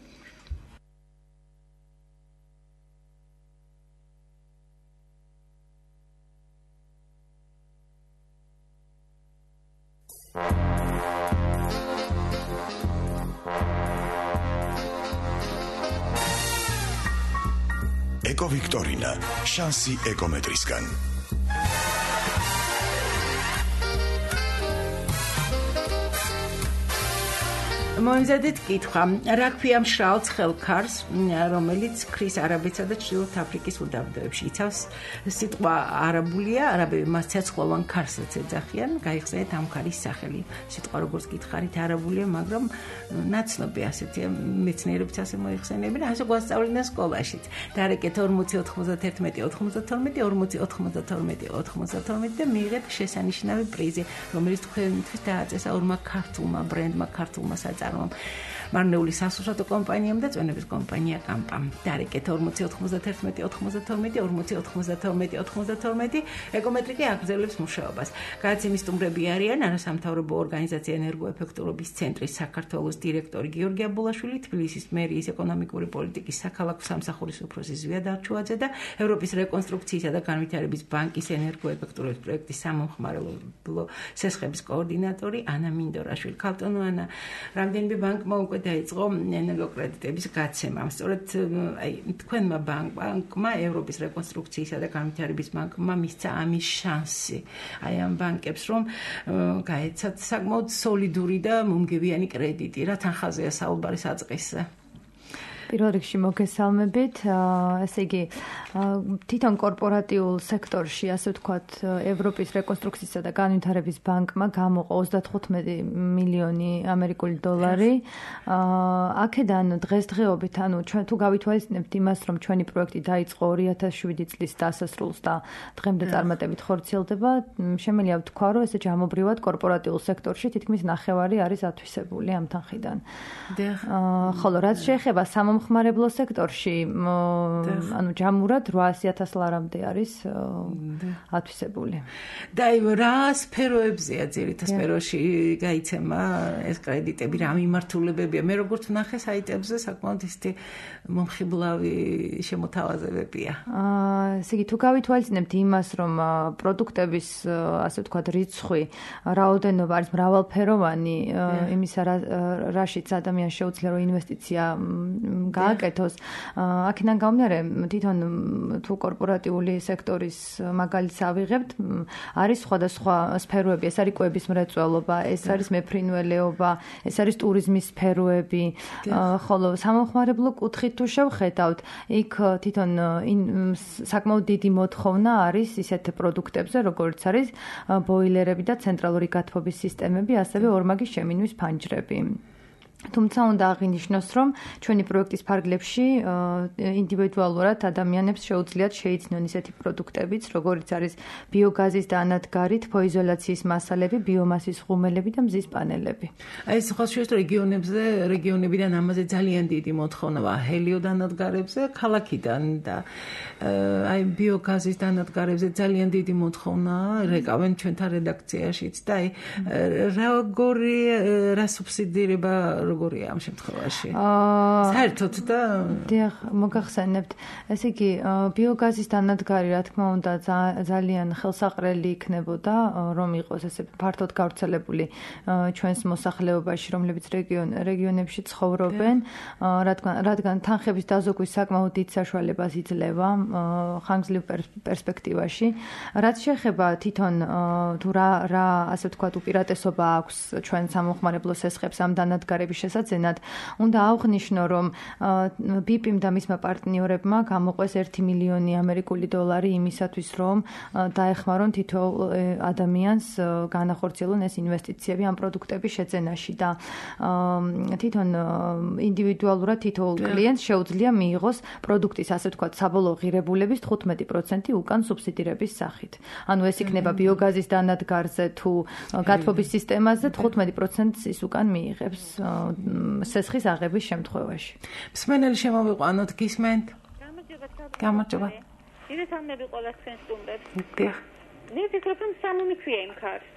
ეკო ვიქტორინა, შანსი ეკომეტრისგან. მოიმზადეთ კითხვა, რა ქვია მშრალ ცხელქარს, რომელიც ქრის არაბეთსა და ჩრდილოეთ აფრიკის უდაბნოებში იცავს სიტყვა არაბულია, არაბები მას ცეცხლოვან ქარსაც ეძახიან, გაიხსენეთ ამ ქარის სახელი. სიტყვა როგორც გითხარით არაბულია, მაგრამ ნაცნობი ასეთია, მეცნიერებიც ასე მოიხსენებენ, ასე გვასწავლდნენ სკოლაშიც. დარეკეთ 40 91 92 40 92 92 და მიიღეთ შესანიშნავი პრიზი, რომელიც თქვენთვის დააწესა ორმა ქართულმა ბრენდმა, ქართულმა მარნეული სასურსათო კომპანიამ და წვენების კომპანია კამპამ. დარეკეთ 40 91 92 40 92 92 ეკომეტრიკი აგრძელებს მუშაობას. გადაცემის სტუმრები არიან არასამთავრობო ორგანიზაცია ენერგოეფექტურობის ცენტრის საქართველოს დირექტორი გიორგი აბულაშვილი, თბილისის მერიის ეკონომიკური პოლიტიკის საქალაქო სამსახურის უფროსი ზვია დარჩუაძე და ევროპის რეკონსტრუქციისა და განვითარების ბანკის ენერგოეფექტურობის პროექტის სამომხმარებლო სესხების კოორდინატორი ანა მინდორაშვილი. ქალბატონო ანა, რამდენიმე ბანკმა უკვე დაიწყო ენერგოკრედიტების გაცემა. სწორედ აი თქვენმა ბანკმა ევროპის რეკონსტრუქციისა და განვითარების ბანკმა მისცა ამის შანსი. აი ამ ბანკებს რომ გაეცათ საკმაოდ სოლიდური და მომგებიანი კრედიტი. რა თანხაზეა საუბარი საწყისზე? პირველ რიგში მოგესალმებით. ესე იგი, თვითონ კორპორატიულ სექტორში, ასე ვთქვათ, ევროპის რეკონსტრუქციისა და განვითარების ბანკმა გამოყო 35 მილიონი ამერიკული დოლარი. აქედან დღესდღეობით, ანუ ჩვენ თუ გავითვალისწინებთ იმას, რომ ჩვენი პროექტი დაიწყო 2007 წლის დასასრულს და დღემდე წარმატებით ხორციელდება, შემიძლია ვთქვა, რომ ესე ჯამობრივად კორპორატიულ სექტორში თითქმის ნახევარი არის ათვისებული ამ თანხიდან. ხოლო რაც შეეხება სამომხმარებლო სექტორში, ანუ ჯამურად ფაქტურად 800,000 ლარამდე არის ათვისებული. და რა სფეროებზეა ძირითად სფეროში გაიცემა ეს კრედიტები, რა მიმართულებებია? მე როგორც ვნახე საიტებზე საკმაოდ ისეთი მომხიბლავი შემოთავაზებებია. ესე იგი თუ გავითვალისწინებთ იმას, რომ პროდუქტების ასე ვთქვათ რიცხვი, რაოდენობა არის მრავალფეროვანი, იმისა რაშიც ადამიანს შეუძლია რომ ინვესტიცია გააკეთოს, აქედან გამომდინარე თვითონ თუ კორპორატიული სექტორის მაგალითს ავიღებთ, არის სხვადასხვა სფეროები, ეს არის კვების მრეწველობა, ეს არის მეფრინველეობა, ეს არის ტურიზმის სფეროები, ხოლო სამომხმარებლო კუთხით თუ შევხედავთ, იქ თვითონ საკმაოდ დიდი მოთხოვნა არის ისეთ პროდუქტებზე, როგორც არის ბოილერები და ცენტრალური გათბობის სისტემები, ასევე ორმაგი შემინვის ფანჯრები. თუმცა უნდა აღინიშნოს, რომ ჩვენი პროექტის ფარგლებში ინდივიდუალურად ადამიანებს შეუძლიათ შეიცნონ ისეთი პროდუქტებიც, როგორიც არის ბიოგაზის დანადგარი, თბოიზოლაციის მასალები, ბიომასის ღუმელები და მზის პანელები. აი ეს ხო შეგვიძლია რეგიონებიდან ამაზე ძალიან დიდი მოთხოვნაა ჰელიო დანადგარებზე, ქალაქიდან და აი ბიოგაზის დანადგარებზე ძალიან დიდი მოთხოვნაა, რეკავენ ჩვენთან რედაქციაშიც და აი რა სუბსიდირება როგორია ამ შემთხვევაში? საერთოდ და დიახ, მოგახსენებთ. ესე იგი, ბიოგაზის დანადგარი, რა თქმა უნდა, ძალიან ხელსაყრელი იქნებოდა, რომ იყოს ესე ფართოდ გავრცელებული ჩვენს მოსახლეობაში, რომლებიც რეგიონებში ცხოვრობენ, რადგან თანხების დაზოგვის საკმაოდ დიდ საშუალებას იძლევა ხანგრძლივ პერსპექტივაში. რაც შეეხება თვითონ თუ რა ასე ვთქვათ უპირატესობა აქვს ჩვენ სამომხმარებლო სესხებს ამ დანადგარების შესაძენად, უნდა აღვნიშნო, რომ BIP-მ და მისმა პარტნიორებმა გამოყვეს 1 მილიონი ამერიკული დოლარი იმისათვის, რომ დაეხმარონ თითოეულ ადამიანს განახორციელონ ეს ინვესტიციები ამ პროდუქტების შეძენაში და თვითონ ინდივიდუალურად თითოეულ კლიენტს შეუძლია მიიღოს პროდუქტის ასე ვთქვათ საბოლოო ღირებულების 15% უკან სუბსიდირების სახით. ანუ ეს იქნება ბიოგაზის დანადგარზე თუ გათბობის სისტემაზე 15% ის უკან მიიღებს სესხის აღების შემთხვევაში. მსმენელი შემოვიყვანოთ, გისმენთ? გამარჯობა. ირეთამდე ყველა თქვენ სტუმრებს. დიახ. მე ვფიქრობ, რომ სამომი ქვია იმ ქარს.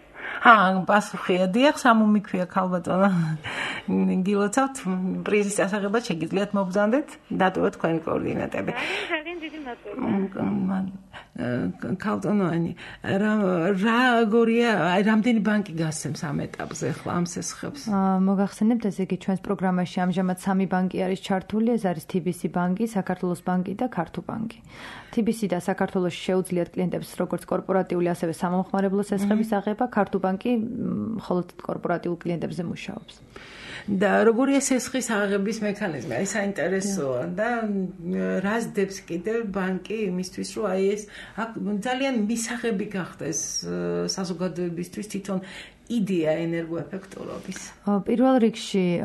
პასუხია, დიახ, სამომი ქვია ქალბატონო. გილოცავთ პრიზის ასაღებად შეგიძლიათ მობრძანდეთ, დატოვოთ თქვენი კოორდინატები. ძალიან დიდი მადლობა. ქალბატონოანი, როგორია, რამდენი ბანკი გასცემს ამ ეტაპზე ახლა ამ სესხებს? მოგახსენებთ, ესე იგი, ჩვენს პროგრამაში ამჟამად 3 ბანკი არის ჩართული, ეს არის TBC ბანკი, საქართველოს ბანკი და ქართულ ბანკი. TBC და საქართველოში შეუძლიათ კლიენტებს როგორც კორპორატიული, ასევე სამომხმარებლო სესხების აღება, ქართულ ბანკი მხოლოდ კორპორატიულ კლიენტებზე მუშაობს. და როგორია სესხის აღების მექანიზმი? აი საინტერესოა და რას დებს კიდევ ბანკი იმისთვის, რომ აი ეს ძალიან მისაღები გახდეს საზოგადოებისთვის თვითონ იდეა ენერგოეფექტურობის. პირველ რიგში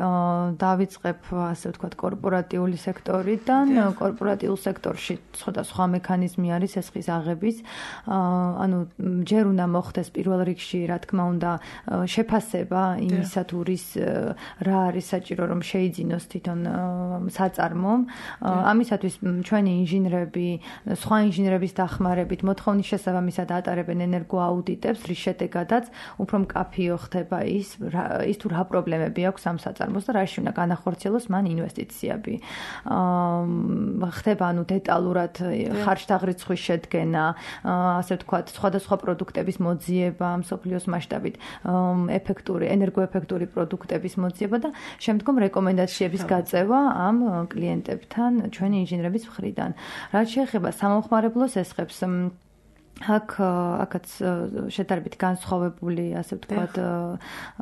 დავიწყებ ასე ვთქვათ კორპორატიული სექტორიდან. კორპორატიულ სექტორში სხვადასხვა მექანიზმი არის სესხის აღების. ანუ ჯერ უნდა მოხდეს პირველ რიგში, რა თქმა უნდა, შეფასება იმისა თუ რა არის საჭირო რომ შეიძინოს თვითონ საწარმო. ამისათვის ჩვენი ინჟინრები, სხვა ინჟინრების დახმარებით მოთხოვნის შესაბამისად ატარებენ ენერგოაუდიტებს, რის შედეგადაც უფრო მკაფიო ხდება ის თუ რა პრობლემები აქვს ამ საწარმოს და რაში უნდა განახორციელოს მან ინვესტიციები. ხდება ანუ დეტალურად ხარჯთაღრიცხვის შედგენა, ასე ვთქვათ, სხვადასხვა პროდუქტების მოძიება მსოფლიოს მასშტაბით, ენერგოეფექტური პროდუქტების მოძიება და შემდგომ რეკომენდაციების გაწევა ამ კლიენტებთან ჩვენი ინჟინრების მხრიდან. რაც შეეხება სამომხმარებლო სესხებს, აქაც შედარებით განსხვავებული, ასე ვთქვათ,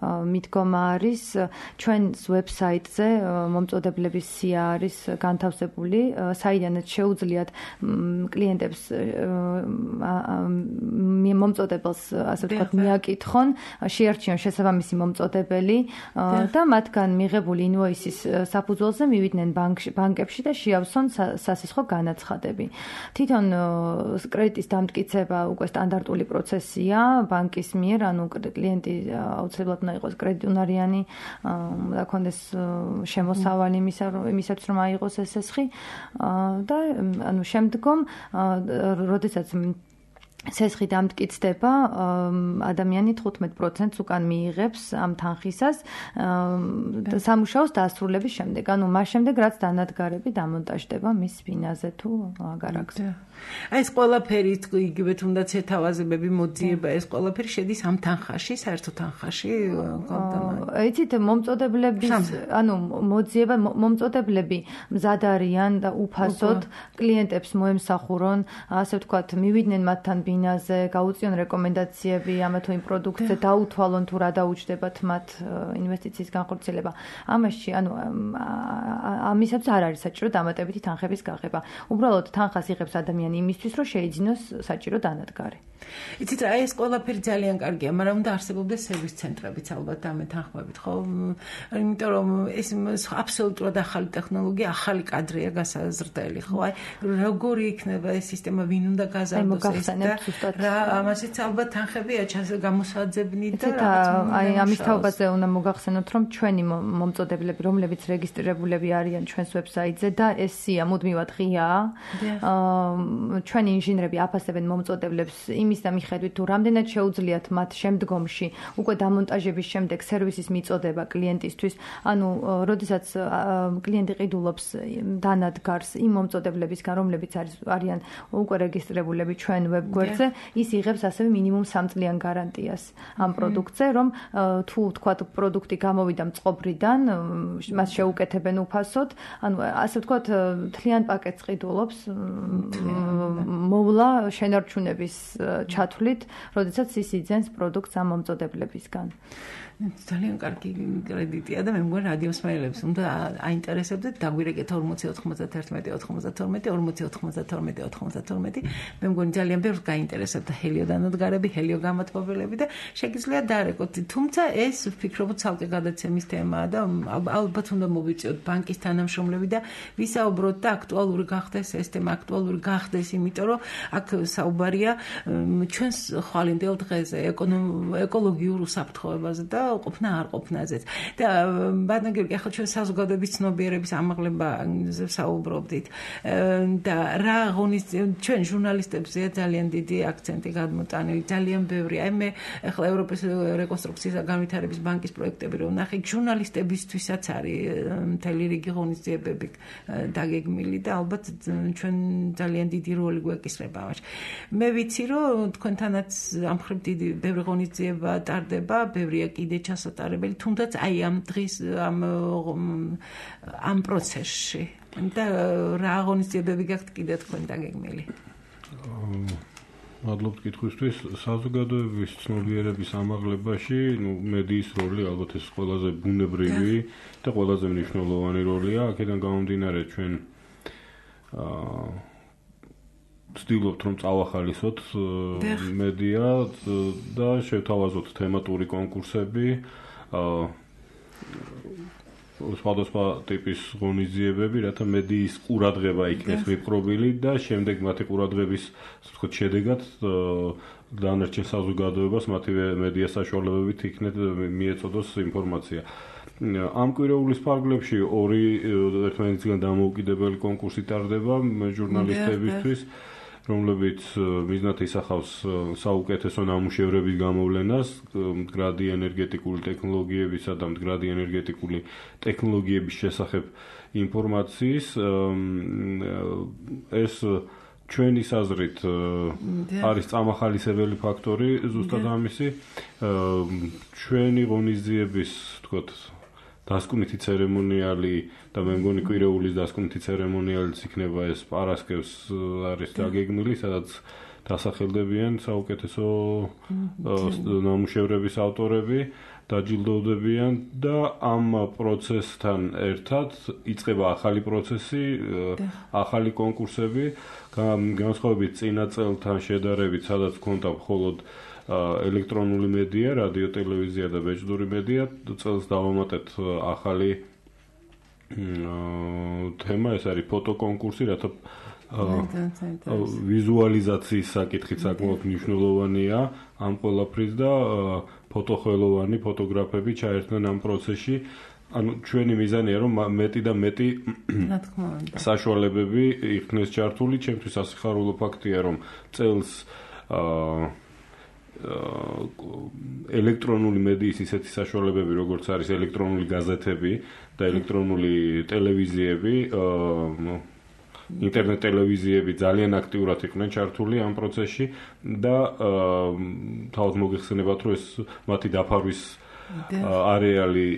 მიდგომა არის. ჩვენს ვებსაიტზე მომწოდებლების სია არის განთავსებული, საიდანაც შეუძლიათ კლიენტებს მომწოდებელს, ასე ვთქვათ, მიაკითხონ, შეარჩიონ შესაბამისი მომწოდებელი და მათგან მიღებული ინვოისის საფუძველზე მივიდნენ ბანკებში და შეავსონ სასესხო განაცხადები. თვითონ კრედიტის დამტკიცება მიწოდება უკვე სტანდარტული პროცესია ბანკის მიერ, ანუ კლიენტი აუცილებლად უნდა იყოს კრედიტუნარიანი, უნდა ქონდეს შემოსავალი იმისაც რომ აიღოს ეს ესხი და ანუ შემდგომ როდესაც სესხი დამტკიცდება, ადამიანი 15%-ს უკან მიიღებს ამ თანხისას სამუშაოს დასრულების შემდეგ. ანუ მას შემდეგ რაც დანადგარები დამონტაჟდება მის ბინაზე თუ აგარაკს. აი ეს ყველაფერი იგივე თუნდაც ეთავაზებები მოძიება ეს ყველაფერი შედის ამ თანხაში, საერთო თანხაში იცით მომწოდებლების ანუ მოძიება მომწოდებლები მზად არიან და უფასოდ კლიენტებს მოემსახურონ, ასე ვთქვათ, მივიდნენ მათთან ბინაზე, გაუწიონ რეკომენდაციები ამა თუ იმ პროდუქტზე, დაუთვალონ თუ რა დაუჯდებათ მათ ინვესტიციის განხორციელება. ამაში ანუ ამისათვის არ არის საჭირო დამატებითი თანხების გაღება. უბრალოდ თანხას იღებს ადამიანი იმისთვის, რომ შეიძინოს საჭირო დანადგარი. იცით რა, ეს ყველაფერი ძალიან კარგია, მაგრამ უნდა არსებობდეს სერვის ცენტრებიც ალბათ ამ თანხმებით, ხო? იმიტომ რომ ეს აბსოლუტურად ახალი ტექნოლოგია, ახალი კადრია გასაზრდელი, ხო? აი, როგორი იქნება ეს სისტემა, ვინ უნდა გაზარდოს ეს და რა, ამასაც ალბათ თანხებია გამოსაძებნი და აი, ამის თაობაზე უნდა მოგახსენოთ, რომ ჩვენი მომწოდებლები, რომლებიც რეგისტრირებულები არიან ჩვენს ვებსაიტზე და ეს სია მუდმივად ღიაა. ჩვენი ინჟინრები აფასებენ მომწოდებლებს იმის და მიხედვით თუ რამდენად შეუძლიათ მათ შემდგომში უკვე დამონტაჟების შემდეგ სერვისის მიწოდება კლიენტისთვის, ანუ როდესაც კლიენტი ყიდულობს დანადგარს იმ მომწოდებლებისგან, რომლებიც არიან უკვე რეგისტრირებულები ჩვენ ვებგვერდზე, ის იღებს ასევე მინიმუმ 3 წლიან გარანტიას ამ პროდუქტზე, რომ თუ თქვათ პროდუქტი გამოვიდა მწყობრიდან, მას შეუკეთებენ უფასოდ, ანუ ასე ვთქვათ, მთლიან პაკეტს ყიდულობს მოვლა შენარჩუნების ჩათვლით, როდესაც ის იძენს პროდუქტს ამ მომწოდებლებისგან. ძალიან კარგი კრედიტია და მე მგონი რადიოსმენელებს უნდა აინტერესებდეთ დაგვირეკეთ 40 91 92 40 92 92. მე მგონი ძალიან ბევრს გაინტერესებდა ჰელიო დანადგარები, ჰელიო გამოთმობელები და შეგიძლიათ დაარეკოთ. თუმცა ეს ვფიქრობ ცალკე გადაცემის თემაა და ალბათ უნდა მოვიწიოთ ბანკის თანამშრომლები და ვისაუბროთ და აქტუალური გახდეს ეს თემა, აქტუალური გახდეს, იმიტომ რომ აქ საუბარია ჩვენს ხვალინდელ დღეზე, ეკოლოგიურ უსაფრთხოებაზე და ყოფნა არ ყოფნაზეც. და ბანაკები ახლა ჩვენ საზოგადოების ცნობიერების ამაღლებაზე საუბრობდით. და რა ღონისძიებაა ჩვენ ჟურნალისტებზეა ძალიან დიდი აქცენტი გადმოტანილი, ძალიან ბევრი. აი მე ახლა ევროპის რეკონსტრუქციის და განვითარების ბანკის პროექტები რომ ნახე, ჟურნალისტებისთვისაც არის მთელი რიგი ღონისძიებები დაგეგმილი და ალბათ ჩვენ ძალიან დიდი როლი გვეკისრება ამაში. მე ვიცი რომ თქვენთანაც ამ მხრივ დიდი ბევრი ღონისძიება ტარდება, ბევრია კიდე ჩასატარებელი, თუნდაც აი ამ დღის ამ პროცესში. და რა ღონისძიებები გაქვთ კიდე თქვენ დაგეგმილი? მადლობთ კითხვისთვის. საზოგადოების ცნობიერების ამაღლებაში, მედიის როლი ალბათ ეს ყველაზე ბუნებრივი და ყველაზე მნიშვნელოვანი როლია. აქედან გამომდინარე ჩვენ ვცდილობთ რომ წავახალისოთ მედია და შევთავაზოთ თემატური კონკურსები, სხვადასხვა ტიპის ღონისძიებები, რათა მედიის ყურადღება იქნეს მიპყრობილი და შემდეგ მათი ყურადღების ვთქვათ შედეგად დანარჩენ საზოგადოებას მათივე მედია საშუალებებით იქნეთ მიეწოდოს ინფორმაცია. ამ კვირეულის ფარგლებში ორი ერთმანეთისგან დამოუკიდებელი კონკურსი ტარდება ჟურნალისტებისთვის, რომლებიც მიზნად ისახავს საუკეთესო ნამუშევრების გამოვლენას მდგრადი ენერგეტიკული ტექნოლოგიებისა და მდგრადი ენერგეტიკული ტექნოლოგიების შესახებ ინფორმაციის. ეს ჩვენი საზრით არის წამახალისებელი ფაქტორი ზუსტად ამისი. ჩვენი ღონისძიების, ვთქვათ, დასკვნითი ცერემონიალი და მე მგონი კვირეულის დასკვნითი ცერემონიალიც იქნება ეს პარასკევს არის დაგეგმილი, სადაც დასახელდებიან საუკეთესო ნამუშევრების ავტორები, დაჯილდოვდებიან და ამ პროცესთან ერთად იწყება ახალი პროცესი, ახალი კონკურსები, განსხვავებით წინა წელთან შედარებით, სადაც ჰქონდა მხოლოდ ელექტრონული მედია, რადიო, ტელევიზია და ბეჭდური მედია, წელს დავამატეთ ახალი თემა ეს არის ფოტოკონკურსი, რათა ვიზუალიზაციის საკითხით საკმაოდ მნიშვნელოვანია ამ ყველაფრის და ფოტოხელოვანი ფოტოგრაფები ჩაერთნენ ამ პროცესში. ანუ ჩვენი მიზანია რომ მეტი და მეტი საშუალებები იქნეს ჩართული. ჩემთვის ასიხარულო ფაქტია რომ წელს ელექტრონული მედიის ისეთი საშუალებები როგორც არის ელექტრონული გაზეთები და ელექტრონული ტელევიზიები ინტერნეტ ტელევიზიები ძალიან აქტიურად იყვნენ ჩართული ამ პროცესში და თავად მოგეხსენებათ რომ ეს მათი დაფარვის არეალი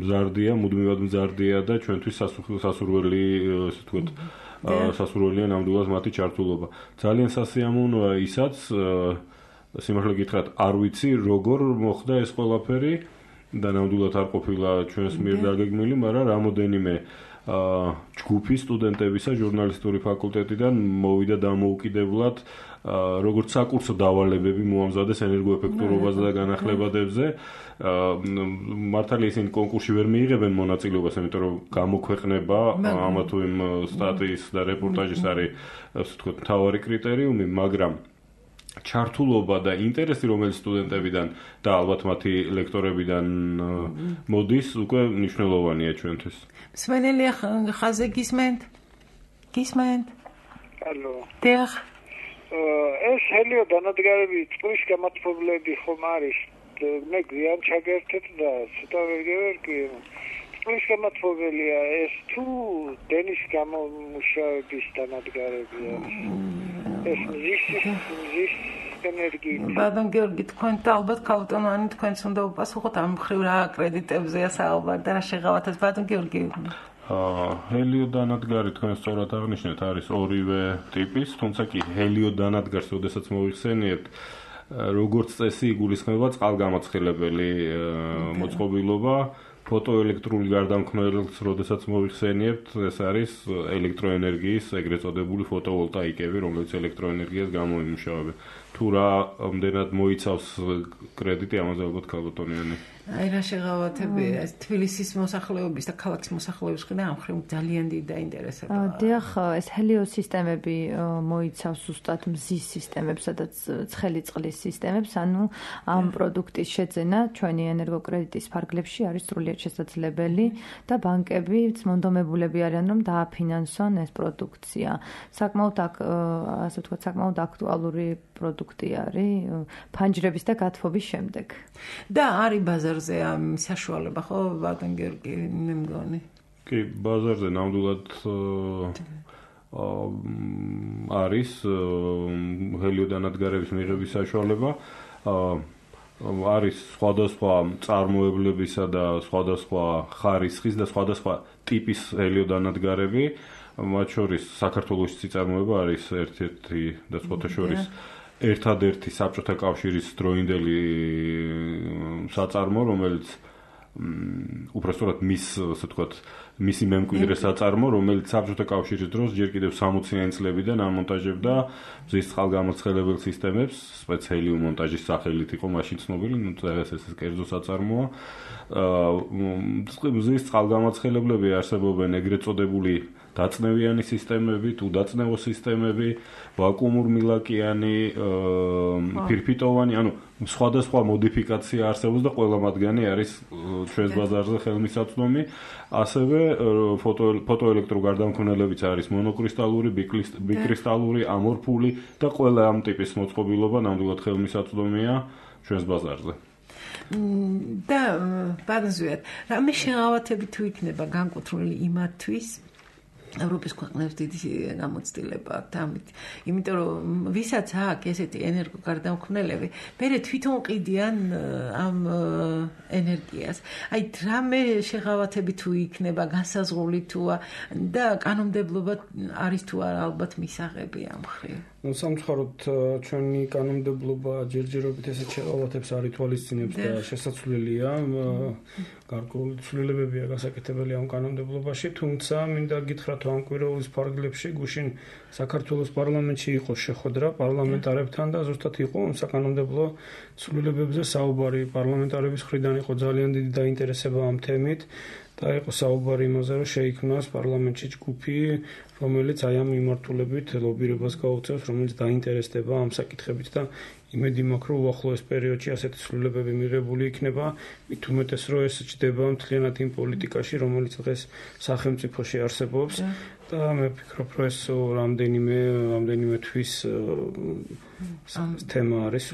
მზარდია, მუდმივად მზარდია და ჩვენთვის სასურველი, ასე ვთქვათ, სასურველია ნამდვილად მათი ჩართულობა. ძალიან სასიამოვნოა ისაც სიმართლე გითხრათ, არ ვიცი როგორ მოხდა ეს ყველაფერი და ნამდვილად არ ყოფილა ჩვენს მიერ დაგეგმილი, მაგრამ რამოდენიმე ჯგუფი სტუდენტებისა ჟურნალისტური ფაკულტეტიდან მოვიდა დამოუკიდებლად როგორც საკურსო დავალებები მოამზადეს ენერგოეფექტურობაზე და განახლებადებზე. მართალია ისინი კონკურსში ვერ მიიღებენ მონაწილეობას, იმიტომ რომ გამოქვეყნება ამა თუ იმ სტატიის და რეპორტაჟის არის, ასე ვთქვათ, მთავარი კრიტერიუმი, მაგრამ ჩართულობა და ინტერესი, რომელიც სტუდენტებიდან და ალბათ მათი ლექტორებიდან მოდის, უკვე მნიშვნელოვანია ჩვენთვის. მსმენელი ხაზე გისმენთ? გისმენთ? ალო. დიახ. ეს ჰელიო დანადგარები წყლის გამათბობლები ხომ არის? მე გვიან ჩაგერთეთ და ცოტა ვერ გევერკი. წყლის გამათბობელია ეს თუ დენის გამომუშავების დანადგარებია? ეს მზის ენერგიით. ბატონ გიორგი, თქვენ და ალბათ ქალბატონანი თქვენც უნდა უპასუხოთ ამ მხრივ რა კრედიტებზეა საუბარი და რა შეღავათებს ბატონ გიორგი? ჰელიო დანადგარი თქვენ სწორად აღნიშნეთ, არის ორივე ტიპის, თუმცა კი ჰელიო დანადგარს, როდესაც მოიხსენიებთ, როგორც წესი იგულისხმება წყალგამოცხელებელი მოწყობილობა, ფოტოელექტრული გარდამქმნელს, როდესაც მოიხსენიებთ, ეს არის ელექტროენერგიის ეგრეთ წოდებული ფოტოვოლტაიკები, რომელიც ელექტროენერგიას გამოიმუშავება. თუ რა ამდენად მოიცავს კრედიტი, ამაზე ალბათ ქალბატონიანი. აი რა შეღავათები თბილისის მოსახლეობის და ქალაქის მოსახლეობის მხრიდან ამ მხრივ ძალიან დიდი დაინტერესებაა. დიახ, ეს ჰელიოს სისტემები მოიცავს ზუსტად მზის სისტემებს, სადაც ცხელი წყლის სისტემებს, ანუ ამ პროდუქტის შეძენა ჩვენი ენერგოკრედიტის ფარგლებში არის სრულიად შესაძლებელი და ბანკებიც მონდომებულები არიან რომ დააფინანსონ ეს პროდუქცია. საკმაოდ ასე ვთქვათ, საკმაოდ აქტუალური პროდუქტი არის ფანჯრების და გათბობის შემდეგ. და არის ბაზარზე ამ საშუალება, ხო, ბატონ გიორგი, მე მგონი. კი, ბაზარზე ნამდვილად არის ჰელიო დანადგარების მიღების საშუალება. არის სხვადასხვა წარმოებლებისა და სხვადასხვა ხარისხის და სხვადასხვა ტიპის ჰელიო დანადგარები, მათ შორის საქართველოს წიწარმოება არის ერთ-ერთი და სხვათა შორის ერთადერთი საბჭოთა კავშირის დროინდელი საწარმო, რომელიც უბრალოდ ასე ვთქვათ, მისი მემკვიდრე საწარმო, რომელიც საბჭოთა კავშირის დროს ჯერ კიდევ 60-იანი წლებიდან ამონტაჟებდა მზის წყალგამოცხელებელ სისტემებს, სპეციალური მონტაჟის სახელით იყო მაშინ ცნობილი, ნუ დღეს ეს კერძო საწარმოა. მზის წყალგამოცხელებლები არსებობენ ეგრეთ წოდებული დაწნევიანი სისტემები, თუ დაწნევო სისტემები, ვაკუუმურმილაკიანი, ფირფიტოვანი, ანუ სხვადასხვა მოდიფიკაცია არსებობს და ყველა მათგანი არის ჩვენს ბაზარზე ხელმისაწვდომი. ასევე ფოტოელექტროგარდამქმნელებიც არის მონოკრისტალური, ბიკრისტალური, ამორფული და ყველა ამ ტიპის მოწყობილობა ნამდვილად ხელმისაწვდომია ჩვენს ბაზარზე. და ბაზარზე რამე შეღავათები თუ იქნება განკუთვნილი იმათთვის ევროპის ქვეყნებს დიდი გამოცდილება აქვს ამით. იმიტომ რომ ვისაც აქვს ესეთი ენერგოგარდამქმნელები, მერე თვითონ ყიდიან ამ ენერგიას. აი რამე შეღავათები თუ იქნება, განსაზღვრული თუა და კანონმდებლობა არის თუ არა ალბათ მისაღები ამ მხრივ. სამწუხაროდ ჩვენი კანონმდებლობა ჯერჯერობით ესეთ შეღავათებს არ ითვალისწინებს და შესაძლებელია გარკვეული ცვლილებებია გასაკეთებელი ამ კანონმდებლობაში, თუმცა მინდა გითხრათ ამ კვირაობის ფარგლებში გუშინ საქართველოს პარლამენტში იყო შეხვედრა პარლამენტარებთან და ზუსტად იყო ამ საკანონმდებლო ცვლილებებზე საუბარი. პარლამენტარების მხრიდან იყო ძალიან დიდი დაინტერესება ამ თემით და იყო საუბარი იმაზე, რომ შეიქმნას პარლამენტში ჯგუფი, რომელიც აი ამ მიმართულებით ლობირებას გაუწევს, რომელიც დაინტერესდება ამ საკითხებით და იმედი მაქვს, რომ უახლოეს პერიოდში ასეთი ცვლილებები მიღებული იქნება, მით უმეტეს რომ ეს ჩდება მთლიანად იმ პოლიტიკაში, რომელიც დღეს სახელმწიფოში არსებობს და მე ვფიქრობ, რომ ეს რამდენიმე თვის თემა არის.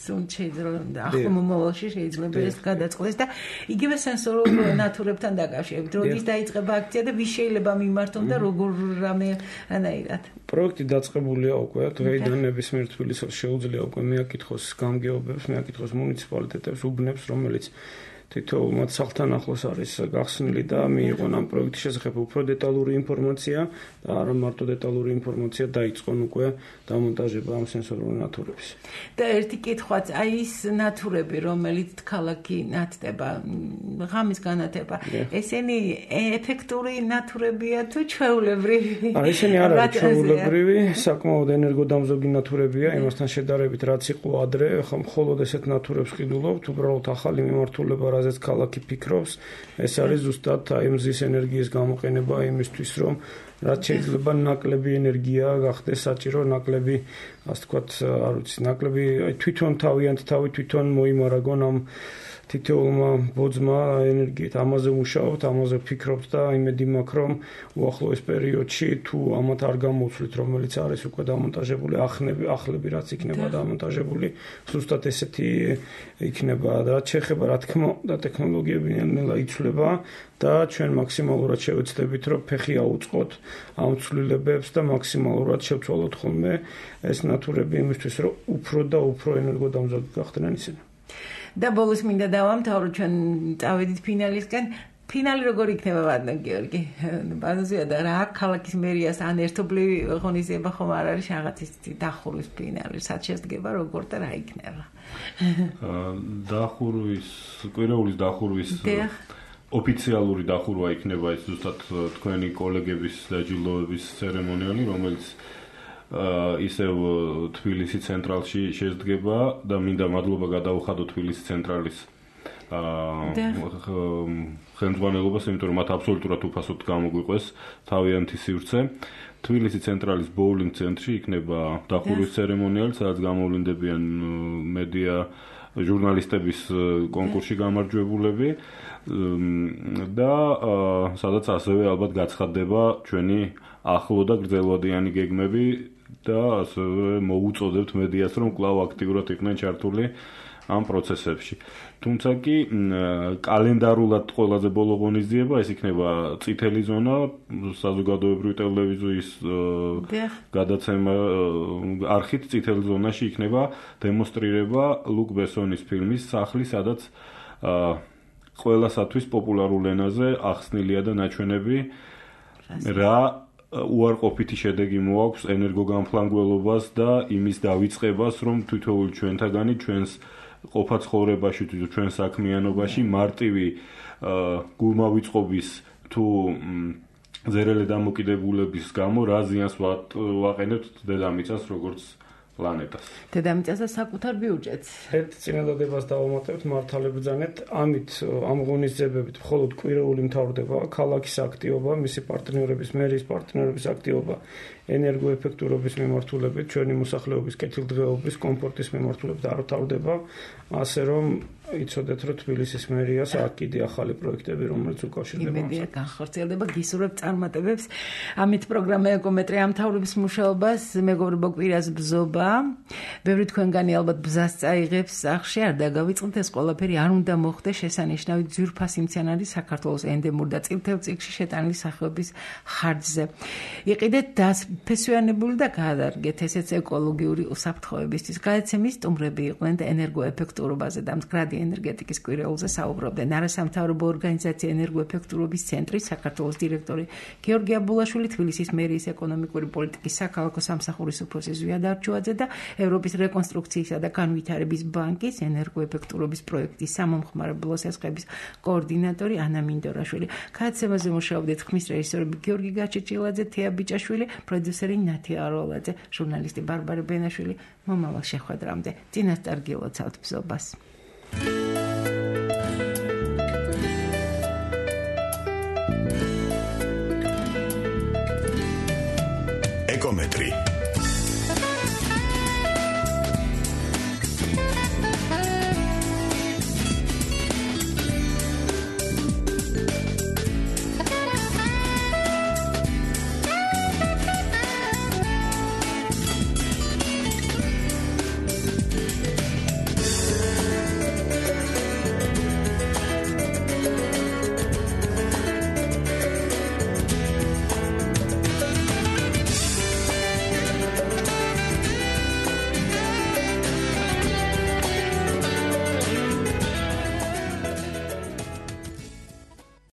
შეიძლება ახლა მომავალში შეიძლება ეს გადაწყდეს და იგივე სენსორულ ნატურებთან დაკავშირებით. როდის დაიწყება აქცია და ვის შეიძლება მიმართონ და როგორ რამეანაირად. პროექტი დაწყებულია უკვე, დღეიდან ნებისმიერ თბილისელს შეუძლია უკვე მეაკითხოს გამგეობებს, მეაკითხოს მუნიციპალიტეტებს, უბნებს, რომელიც თითოეულ მათ სახლთან ახლოს არის გახსნილი და მიიღონ ამ პროექტის შესახებ უფრო დეტალური ინფორმაცია და არა მარტო დეტალური ინფორმაცია დაიწყონ უკვე დამონტაჟება ამ სენსორული ნატურების. და ერთი კითხვაც, აი ის ნატურები, რომელიც ქალაქი ნათდება, ღამის განათება, ესენი ეფექტური ნატურებია თუ ჩვეულებრივი? ესენი არ არის ჩვეულებრივი, საკმაოდ ენერგოდამზოგი ნატურებია, იმასთან შედარებით რაც იყო ადრე, ხომ მხოლოდ ესეთ ნატურებს ყიდულობთ, უბრალოდ ახალი მიმართულება რაზეც ქალაქი ფიქრობს, ეს არის ზუსტად აი მზის ენერგიის გამოყენება იმისთვის, რომ რაც შეიძლება ნაკლები ენერგია გახდეს საჭირო, ნაკლები, ასე ვთქვათ, არ ვიცი, ნაკლები აი თვითონ თავიანთ თავი თვითონ მოიმარაგონ ამ თითოეულმა ბოძმა ენერგიით. ამაზე მუშაობთ, ამაზე ვფიქრობთ და იმედი მაქვს, რომ უახლოეს პერიოდში თუ ამათ არ გამოვცვლით, რომელიც არის უკვე დამონტაჟებული, ახლები რაც იქნება დამონტაჟებული, ზუსტად ესეთი იქნება. რაც შეეხება, რა თქმა უნდა, ტექნოლოგიები ნელა იცვლება და ჩვენ მაქსიმალურად შევეცდებით, რომ ფეხი აუწყოთ ამ ცვლილებებს და მაქსიმალურად შევცვალოთ ხოლმე ეს ნატურები იმისთვის, რომ უფრო და უფრო ენერგოდამზოგი გახდნენ ისინი. და ბოლოს მინდა დავამთავრო, ჩვენ წავედით ფინალისკენ. ფინალი როგორ იქნება, ვადნაკ გიორგი? ბაზაზია და რა ქალაქის მერიას ან ერთობლივი ღონისძიება ხომ არ არის რაღაცის დახურვის ფინალი, სად შედგება, როგორ და რა იქნება? კვირეულის დახურვის ოფიციალური დახურვა იქნება ეს ზუსტად თქვენი კოლეგების დაჯილდოების ცერემონიალი, რომელიც ისევ თბილისის ცენტრალში შედგება და მინდა მადლობა გადაუხადო თბილისის ცენტრალის ხელმძღვანელობას, იმიტომ რომ მათ აბსოლუტურად უფასოდ გამოგვიყვეს თავიანთი სივრცე. თბილისის ცენტრალის ბოულინგ ცენტრში იქნება დახურვის ცერემონიალი, სადაც გამოვლინდებიან მედია ჟურნალისტების კონკურსში გამარჯვებულები და სადაც ასევე ალბათ გაცხადდება ჩვენი ახლო და გრძელვადიანი გეგმები და ასევე მოუწოდებთ მედიას, რომ კვლავ აქტიურად იყვნენ ჩართული ამ პროცესებში. თუმცა კი კალენდარულად ყველაზე ბოლო ღონისძიება ეს იქნება წითელი ზონა, საზოგადოებრივი ტელევიზიის გადაცემა არხით წითელ ზონაში იქნება დემონსტრირება ლუკ ბესონის ფილმის სახლი, სადაც ყველასათვის პოპულარულ ენაზე ახსნილია და ნაჩვენები რა უარყოფითი შედეგი მოაქვს ენერგოგამფლანგველობას და იმის დავიწყებას, რომ თითოეული ჩვენთაგანი ჩვენს ყოფა ცხოვრებაში თუ ჩვენ საქმიანობაში მარტივი გულმავიწყობის თუ ზერელი დამოკიდებულების გამო რა ზიანს ვაყენებთ დედამიწას როგორც პლანეტას. დედამიწას და საკუთარ ბიუჯეტს. ერთ წინადადებას დავამატებთ მართლებბრძანეთ, ამით ამ ღონისძიებებით მხოლოდ კვირეული მთავრდება, ქალაქის აქტივობა, მისი პარტნიორების, მერიის პარტნიორების აქტივობა ენერგოეფექტურობის მიმართულებით, ჩვენი მოსახლეობის კეთილდღეობის, კომფორტის მიმართულებით არ მთავრდება, ასე რომ იცოდეთ, რომ თბილისის მერიას აქ კიდე ახალი პროექტები, რომელიც უკავშირდება. იმედია განხორციელდება, გისურვებ წარმატებებს. ამით პროგრამა ეკომეტრი ამთავრებს მუშაობას, მეგობრებო, კვირას ბზობა. ბევრი თქვენგანი ალბათ ბზას წაიღებს სახში, არ დაგავიწყდეთ, ეს ყველაფერი არ უნდა მოხდეს შესანიშნავი ძვირფასი მცენარის საქართველოს ენდემურ და წითელ წიგნში შეტანილი სახეობის ხარჯზე. იყიდეთ დასფესვიანებული და გაადარგეთ ესეც ეკოლოგიური უსაფრთხოებისთვის. გადაცემის სტუმრები იყვნენ და ენერგოეფექტურობაზე და მდგრადი ენერგეტიკის კვირეულზე საუბრობდნენ. არასამთავრობო ორგანიზაცია ენერგოეფექტურობის ცენტრის საქართველოს დირექტორი გიორგი აბულაშვილი, თბილისის მერიის ეკონომიკური პოლიტიკის საქალაქო სამსახურის უფროსი ზვიად არჩუაძე და ევროპის რეკონსტრუქციისა და განვითარების ბანკის ენერგოეფექტურობის პროექტის სამომხმარებლო სესხების კოორდინატორი ანა მინდორაშვილი. გადაცემაზე მუშაობდნენ ხმის რეჟისორები გიორგი გაჩეჩილაძე, თეა ბიჭაშვილი, პროდიუსერი ნათია აროლაძე, ჟურნალისტი ბარბარე ბენაშვილი. მომავალ შეხვედრამდე წინასწარ გილოცავთ ბზობას. ეკომეტრი